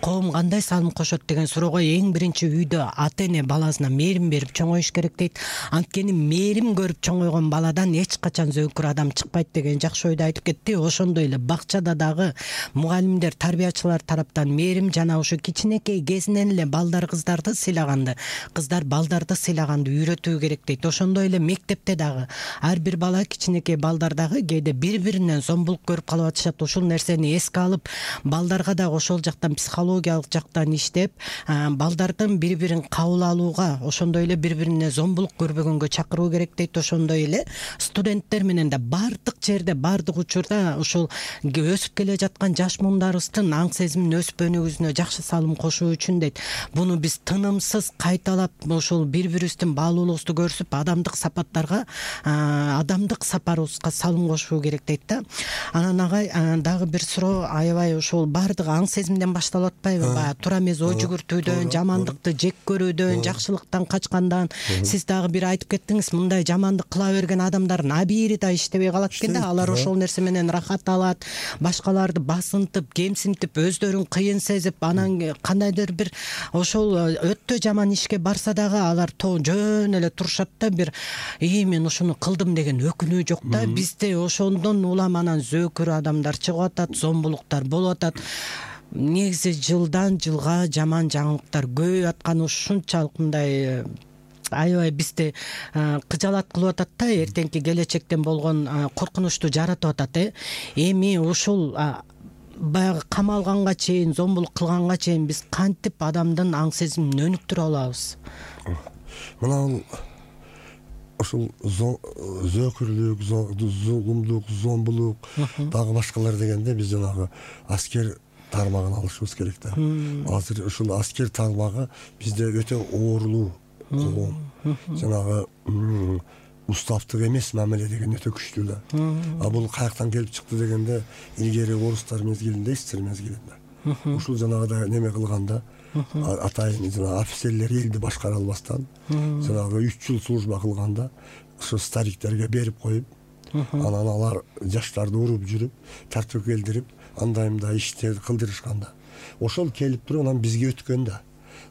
коом кандай салым кошот деген суроого эң биринчи үйдө ата эне баласына мээрим берип чоңоюш керек дейт. Анткени мээрим көрүп чоңойгон баладан эч качан зөөкүр адам чыкпайт деген жакшы ойду айтып кетти. Ошондой эле бакчада дагы мугалимдер, тарбиячылар тараптан мээрим жана ушу кичинекей кезинен эле балдар кыздарды сыйлаганды, кыздар балдарды сыйлаганды үйрөтүү керек дейт. Ошондой эле мектепте дагы ар бир бала, кичинекей балдар дагы кээде бири-биринен зомбулук көрүп калып атышат. Ушул нерсени эске алып, балдарга дагы ошол жактан, психологиялык жактан иштеп, балдардын бири-бирин кабыл алууга, ошондой эле бири-бирине зомбулук көрбөгөнгө чакыруу керек дейт. Ошондой эле студенттер менен да баардык жерде, баардык учурда ушул өсүп келе жаткан жаш муундарыбыздын аң сезимин өсүп өнүгүүсүнө жакшы салым кошуу үчүн дейт. Буну биз тынымсыз кайталап ушул бири-бирибиздин баалуулугубузду көрсөп, адамдык сапаттарга, адамдык сапарыбызга салым кошуу керек дейт да. Анан агай дагы бир суроо, аябай ушул баардыгы аң сезимден башталып атпайбы? Баягы туура эмес ой жүгүртүүдөн, жамандыкты жек көрүүдөн, жакшылыктан качкандан. Сиз дагы бир айтып кеттиңиз, мындай жамандык кыла берген адамдардын абийири да иштебей калат экен да. Алар ошол нерсе менен рахат алат, башкаларды басынтып, кемсинтип, өздөрүн кыйын сезип, анан кандайдыр бир ошол өтө жаман ишке барса дагы алар жөн эле турушат да, бир мен ушуну кылдым деген өкүнүү жок да. Бизде ошондон улам анан зөөкүр адамдар чыгып атат, зомбулуктар болуп атат. Негизи жылдан жылга жаман жаңылыктар көбөйүп атканы ушунчалык мындай аябай бизди кыжалат кылып атат да, эртеңки келечектен болгон коркунучту жаратып атат. Эми ушул баягы камалганга чейин, зомбулук кылганга чейин биз кантип адамдын аң сезимин өнүктүрө алабыз? Мына ушул зөөкүрлүк, зулумдук, зомбулук, дагы башкалар дегенде биз жанагы аскер тармагын алышыбыз керек да. Азыр ушул аскер тармагы бизде өтө оорлуу коом. Жанагы уставдык эмес мамиле деген өтө күчтүү да. Бул каяктан келип чыкты дегенде, илгери орустар мезгилинде, эстер мезгилинде ушул жанагыдай неме кылганда, атайын жана офицерлер элди башкара албастан, жанагы 3 жыл служба кылганда, ушу стариктерге берип коюп, анан алар жаштарды уруп жүрүп, тартып келдирип, андай-мындай иштерди кылдырышканда, ошол келип туруп анан бизге өткөн да.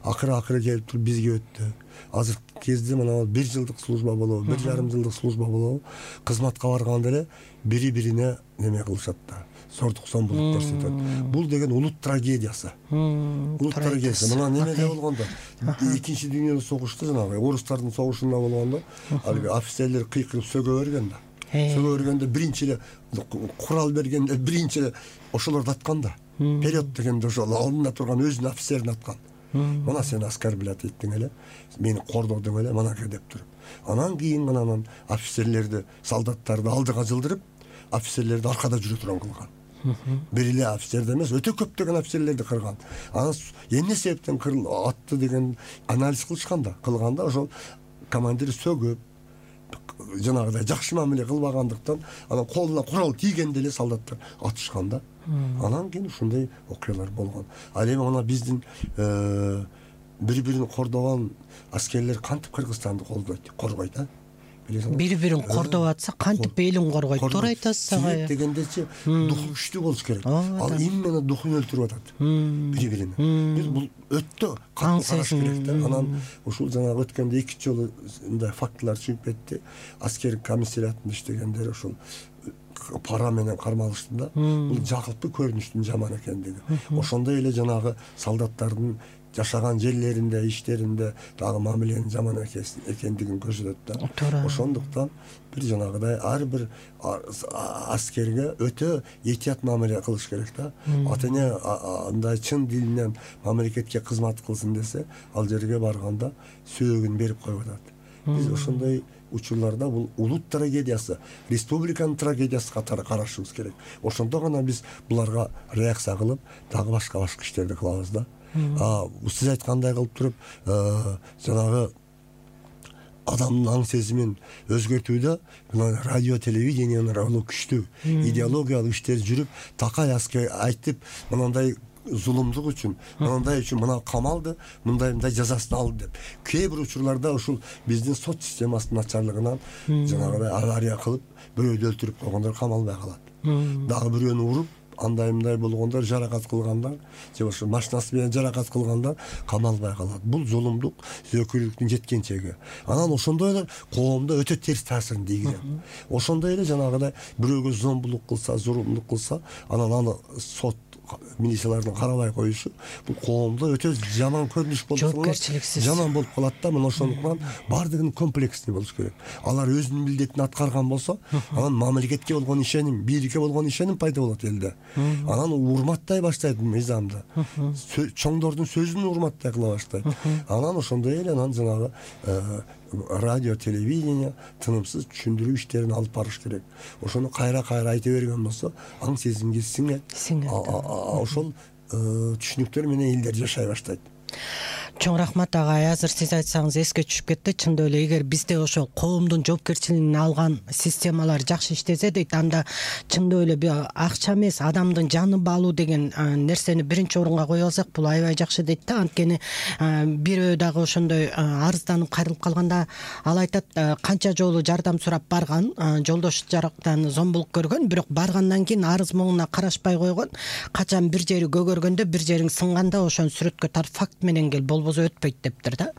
Акыры келип туруп бизге өттү. Азыр кезде мына 1 жылдык служба болобу, 1,5 жылдык служба болобу, кызматка барганда эле бири-бирине неме кылышат да. Сордук зомбулук көрсөтөт. Бул деген улут трагедиясы. Улут трагедиясы. Мына немеде болгондо, Экинчи дүйнөлүк согушта жанагы орустардын согушунда болгондо, албы офицерлер кыйкырып сөгө берген да. Сөгө бергенде биринчи эле курал бергенде биринчи эле ошолорду аткан да. Период дегенде ошол алдында турган өзүнүн офицерин аткан. Мына сен оскорблять эттиң эле, мени кордодуң эле, манакей деп туруп. Анан кийин анан офицерлерди, солдаттарды алдыга жылдырып, офицерлерди аркада жүрө турган кылган. Бир эле офицерди эмес, өтө көптөгөн офицерлерди кырган. Анан эмне себептен атты деген анализ кылганда ошол командир сөгүп, жанагыдай жакшы мамиле кылбагандыктан, анан колуна курал тийгенде эле солдаттар атышкан да. Анан кийин ушундай окуялар болгон. Ал эми ана биздин бири-бирин кордогон аскерлер кантип Кыргызстанды коргойт, Бири-бирин кордоп атса кантип элин коргойт? Туура айтасыз агай. Дегендечи духу күчтүү болуш керек. Ал именно духун өлтүрүп атат бири-бирине. Биз бул өтө катуу караш керек да. Анан ушул жана өткөндө 2 жолу мындай фактылар чыгып кетти. Аскер комиссариатында иштегендер ошол пара менен кармалышты да. Бул жакылпы көрүнүштүн жаман экендиги. Ошондой эле жанагы солдаттардын жашаган жерлеринде, иштеринде дагы мамиленин жаман экендигин көрсөтөт да. Ошондуктан бир жанагыдай ар бир аскерге өтө этият мамиле кылыш керек да. Ата-эне андай чын дилинен мамлекетке кызмат кылсын десе, ал жерге барганда сөөгүн берип коюп атат. Биз ошондой учурларда бул улут трагедиясы, республиканын трагедиясы катары карашыбыз керек. Ошондо гана биз буларга реакция кылып, дагы башка иштерди кылабыз да. Сиз айткандай кылып туруп, жанагы адамдын аң сезимин өзгөртүүдө радио, телевидениенин ролу күчтүү. Идеологиялык иштер жүрүп, Такай айтып, мындай зулумдук үчүн мындай үчүн мына камалды, мындай жазасын алды деп. Кээ бир учурларда ушул биздин сот системасынын начарлыгынан жанагыдай авария кылып бирөөдү өлтүрүп койгондор камалбай калат. Дагы бирөөнү уруп андай болгондор, жаракат кылгандар же ошо машинасы менен жаракат кылгандар камалбай калат. Бул зулумдук, зөөкүрлүктүн жеткен чеги. Анан ошондой эле коомдо өтө терс таасирин тийгизет. Ошондой эле жанагыдай бирөөгө зомбулук кылса, зулумдук кылса, анан аны сот милициялардын карабай коюшу бул коомдо өтө жаман көрүнүш болуп жоопкерчиликсиз жаман болуп калат да. Мына ошондуктан баардыгынын комплексный болуш керек. Алар өзүнүн милдетин аткарган болсо, анан мамлекетке болгон ишеним, бийликке болгон ишеним пайда болот элде. Анан урматтай баштайт мыйзамды. Чоңдордун сөзүн урматтай кыла баштайт. Анан ошондой эле анан жанагы радио, телевидение тынымсыз түшүндүрүү иштерин алып барыш керек. Ошону кайра айта берген болсо, аң сезимге сиңет. Ошол түшүнүктөр менен элдер жашай баштайт. Чоң рахмат агай. Азыр сиз айтсаңыз эске түшүп кетти. Чындап эле эгер бизде ошо коомдун жоопкерчилигин алган системалар жакшы иштесе дейт, анда чындап эле акча эмес, адамдын жанын баалуу деген нерсени биринчи орунга кое алсак, бул аябай жакшы дейт да. Анткени бирөө дагы ошондой арызданып кайрылып калганда ал айтат, канча жолу жардам сурап барган, жолдош жарактан зомбулук көргөн, бирок баргандан кийин арыз моңуна карашпай койгон. Качан бир жери көгөргөндө, бир жериң сынганда ошону сүрөткө тарт, факт менен кел, болбосо өтпөйт дептир да.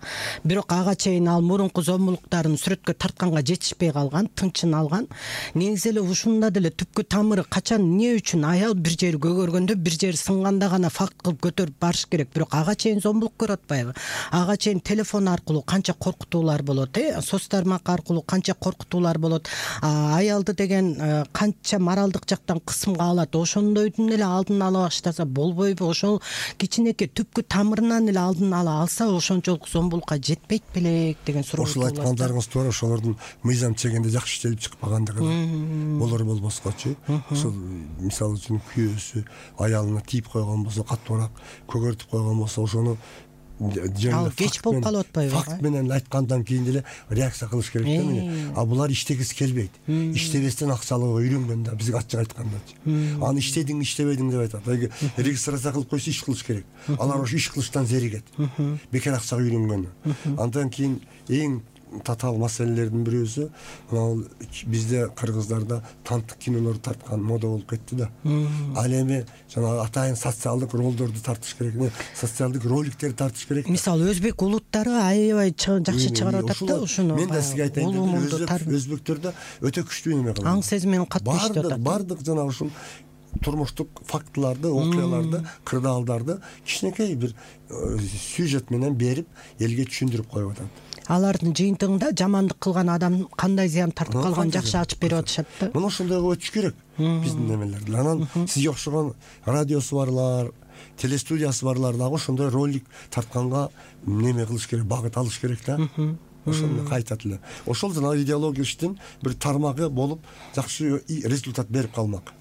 Бирок ага чейин ал мурунку зомбулуктарын сүрөткө тартканга жетишпей калган, тынчын алган. Негизи эле ушунда деле түпкү тамыры качан эмне үчүн аял бир жери көгөргөндө, бир жери сынганда гана факт кылып көтөрүп барыш керек. Бирок ага чейин зомбулук көрүп атпайбы? Ага чейин телефон аркылуу канча коркутуулар болот, соц тармак аркылуу канча коркутуулар болот. Аялды деген канча моралдык жактан кысымга алат. Ошондойдун эле алдын ала баштаса болбойбу? Ошол кичинекей түпкү тамырынан эле алдын ала алса, ошончолук зомбулукка жетпейт белек деген суроо. Ошол айткандарыңыз туура, ошолордун мыйзам чегинде жакшы иштелип чыкпагандыгы болор болбоскочу. Ошол мисалы үчүн күйөөсү аялына тийип койгон болсо, катуураак көгөртүп койгон болсо, ошону ал кеч болуп калып атпайбы? Факт менен айткандан кийин деле реакция кылыш керек да мени. Булар иштегиси келбейт. Иштебестен акча алууга үйрөнгөн да, бизге ачык айткандачы. Аны иштедиң, иштебедиң деп айтат. Регистрация кылып койсо иш кылыш керек. Алар ошо иш кылыштан зеригет. Бекер акчага үйрөнгөн. Андан кийин эң татаал маселелердин бирөөсү мына бизде кыргыздарда танттык кинолор тарткан мода болуп кетти да. Ал эми жанагы атайын социалдык ролдорду тартыш керек, социалдык роликтерди тартыш керек. Мисалы өзбек улуттары аябай жакшы чыгарып атат да ушуну. Мен да сизге айтайын, өзбектөрдө өтө күчтүү неме кылат. Аң сезимин катуу иштеп атат. Бардык жанагы ушул турмуштук фактыларды, окуяларды, кырдаалдарды кичинекей бир сюжет менен берип элге түшүндүрүп коюп атат. Алардын жыйынтыгында жамандык кылган адам кандай зыян тартып калганын жакшы ачып берип атышат да. Мына ошондойго өтүш керек биздин немелерди. Анан сизге окшогон радиосу барлар, телестудиясы барлар дагы ошондой ролик тартканга неме кылыш керек, багыт алыш керек да. Ошону кайтат эле. Ошол жанагы идеологиялыктын бир тармагы болуп жакшы результат берип калмак.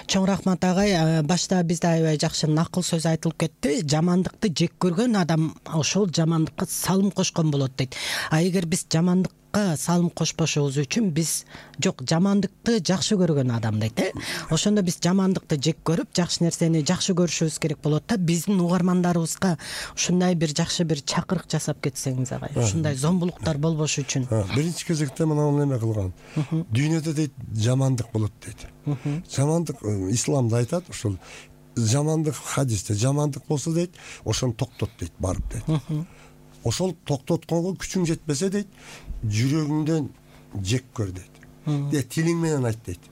Чоң рахмат агай. Башта бизде аябай жакшы накыл сөз айтылып кетти. Жамандыкты жек көргөн адам ошол жамандыкка салым кошкон болот дейт. Эгер биз жамандыкка салым кошпошубуз үчүн биз жок, жамандыкты жакшы көргөн адам дейт. Ошондо биз жамандыкты жек көрүп, жакшы нерсени жакшы көрүшүбүз керек болот да. Биздин угармандарыбызга ушундай бир жакшы бир чакырык жасап кетсеңиз агай. Ушундай зомбулуктар болбош үчүн. Биринчи кезекте мына неме кылган. Дүйнөдө дейт жамандык болот дейт. Жамандык исламда айтат, ошол жамандык хадисте жамандык болсо дейт, ошону токтот дейт, барып дейт. Ошол токтотконго күчүң жетпесе дейт, жүрөгүңдөн жек көр дейт. Тилиң менен айт дейт.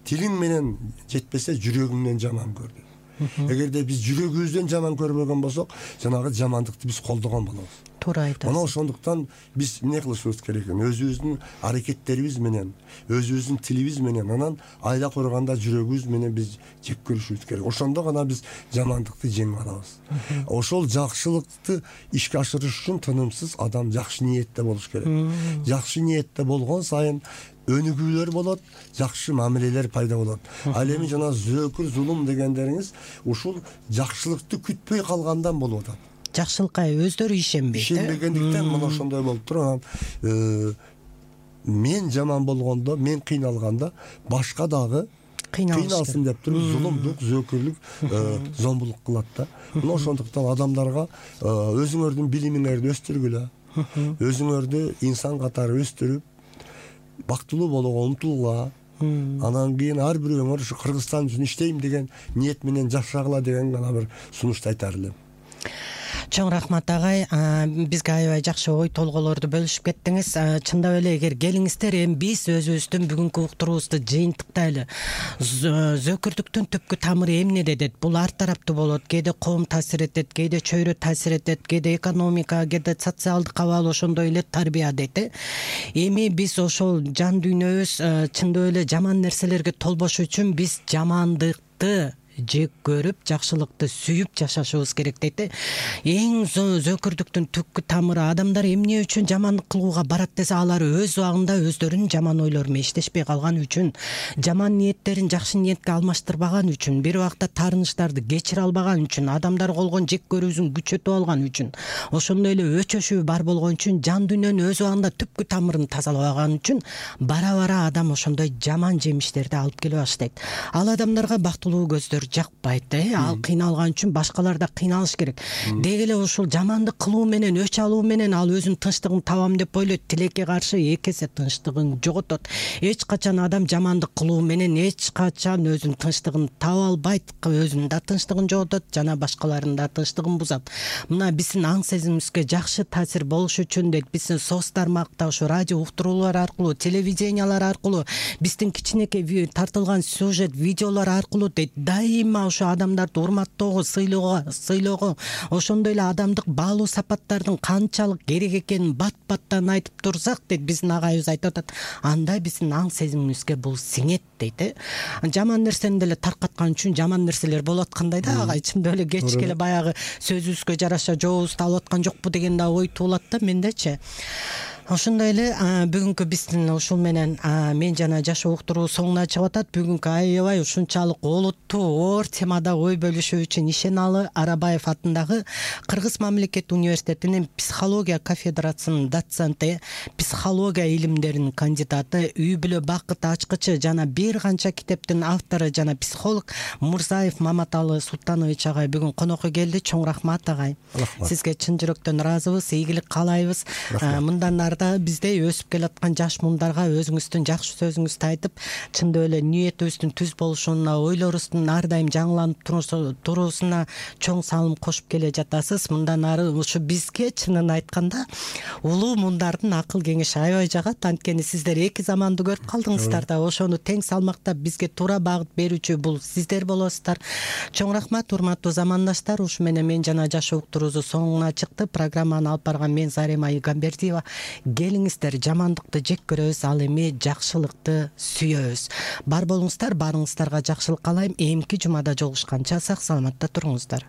Тилиң менен жетпесе жүрөгүңдөн жаман көр дейт. Эгерде биз жүрөгүбүздөн жаман көрбөгөн болсок, жанагы жамандыкты биз колдогон болобуз. Туура айтасыз. Мына ошондуктан биз эмне кылышыбыз керек экен? Өзүбүздүн аракеттерибиз менен, өзүбүздүн тилибиз менен, анан айла көргөндө жүрөгүбүз менен биз жек көрүшүбүз керек. Ошондо гана биз жамандыкты жеңип алабыз. Ошол жакшылыкты ишке ашырыш үчүн тынымсыз адам жакшы ниетте болуш керек. Жакшы ниетте болгон сайын өнүгүүлөр болот, жакшы мамилелер пайда болот. Ал эми жана зөөкүр, зулум дегендериңиз ушул жакшылыкты күтпөй калгандан болуп атат. Жакшылыкка өздөрү ишенбейт. Ишенбегендиктен мына ошондой болуп турат. Мен жаман болгондо, мен кыйналганда башка дагы кыйналсын деп туруп зулумдук, зөөкүрлүк, зомбулук кылат да. Мына ошондуктан адамдарга өзүңөрдүн билимиңерди өстүргүлө, өзүңөрдү инсан катары өстүрүп, бактылуу болууга умтулгула. Анан кийин ар бирөөңөр ушу Кыргызстан үчүн иштейм деген ниет менен жашагыла деген гана бир сунушту айтар элем. Чоң рахмат агай, бизге аябай жакшы ой толгоолорду бөлүшүп кеттиңиз. Чындап эле эгер келиңиздер, эми биз өзүбүздүн бүгүнкү уктуруубузду жыйынтыктайлы. Зөөкүрдүктүн түпкү тамыры эмнеде дейт? Бул ар тараптуу болот. Кээде коом таасир этет, кээде чөйрө таасир этет, кээде экономика, кээде социалдык абал, ошондой эле тарбия дейт. Эми биз ошол жан дүйнөбүз чындап эле жаман нерселерге толбош үчүн биз жамандыкты жек көрүп, жакшылыкты сүйүп жашашыбыз керек дейт. Эң зөөкүрдүктүн түпкү тамыры адамдар эмне үчүн жамандык кылууга барат десе, алар өз убагында өздөрүнүн жаман ойлору менен иштешпей калган үчүн, жаман ниеттерин жакшы ниетке алмаштырбаган үчүн, бир убакта таарынычтарды кечире албаган үчүн, адамдар колгон жек көрүүсүн күчөтүп алган үчүн, ошондой эле өчөшүү бар болгон үчүн, жан дүйнөнүн өз убагында түпкү тамырын тазалабаган үчүн бара адам ошондой жаман жемиштерди алып келе баштайт. Ал адамдарга бактылуу көздөр жакпайт, ал кыйналган үчүн башкалар да кыйналыш керек. Деги эле ушул жамандык кылуу менен, өч алуу менен ал өзүнүн тынчтыгын табам деп ойлойт. Тилекке каршы эки эсе тынчтыгын жоготот. Эч качан адам жамандык кылуу менен эч качан өзүнүн тынчтыгын таба албайт. Өзүнүн да тынчтыгын жоготот, жана башкалардын да тынчтыгын бузат. Мына биздин аң сезимибизге жакшы таасир болуш үчүн дейт, биздин соц тармакта, ушу радио уктуруулар аркылуу, телевидениялар аркылуу, биздин кичинекей тартылган сюжет, видеолор аркылуу дейт, дайыма ушу адамдарды урматтоого, сыйлоого, ошондой эле адамдык баалуу сапаттардын канчалык керек экенин бат-баттан айтып турсак дейт, биздин агайыбыз айтып атат, анда биздин аң сезимибизге бул сиңет дейт. Жаман нерсени деле таркаткан үчүн жаман нерселер болуп аткандай да агай, чындап эле кечке эле баягы сөзүбүзгө жараша жообузду алып аткан жокпу деген да ой туулат да мендечи. Ошондой эле бүгүнкү биздин ушул менен мен жана жашоо уктуруу соңуна чыгып атат. Бүгүнкү аябай ушунчалык олуттуу оор темада ой бөлүшүү үчүн Ишеналы Арабаев атындагы Кыргыз мамлекеттик университетинин психология кафедрасынын доценти, психология илимдеринин кандидаты, үй бүлө бакыт ачкычы жана бир канча китептин автору жана психолог Мурзаев Маматалы Султанович агай бүгүн конокко келди. Чоң рахмат агай. Сизге чын жүрөктөн ыраазыбыз, ийгилик каалайбыз. Мындан биздей өсүп келаткан жаш муундарга өзүңүздүн жакшы сөзүңүздү айтып, чындап эле ниетибиздин түз болушуна, ойлорубуздун ар дайым жаңыланып туруусуна чоң салым кошуп келе жатасыз. Мындан ары ушу бизге чынын айтканда улуу мундардын акыл кеңеши аябай жагат. Анткени сиздер эки заманды көрүп калдыңыздар да, ошону тең салмактап бизге туура багыт берүүчү бул сиздер болосуздар. Чоң рахмат, урматтуу замандаштар. Ушу менен мен жана жашоо уктуруусу соңуна чыкты. Программаны алып барган мен Зарема Игамбердиева. Келиңиздер, жамандыкты жек көрөбүз, ал эми жакшылыкты сүйөбүз. Бар болуңуздар, барыңыздарга жакшылык каалайм. Эмки жумада жолугушканча сак саламатта туруңуздар.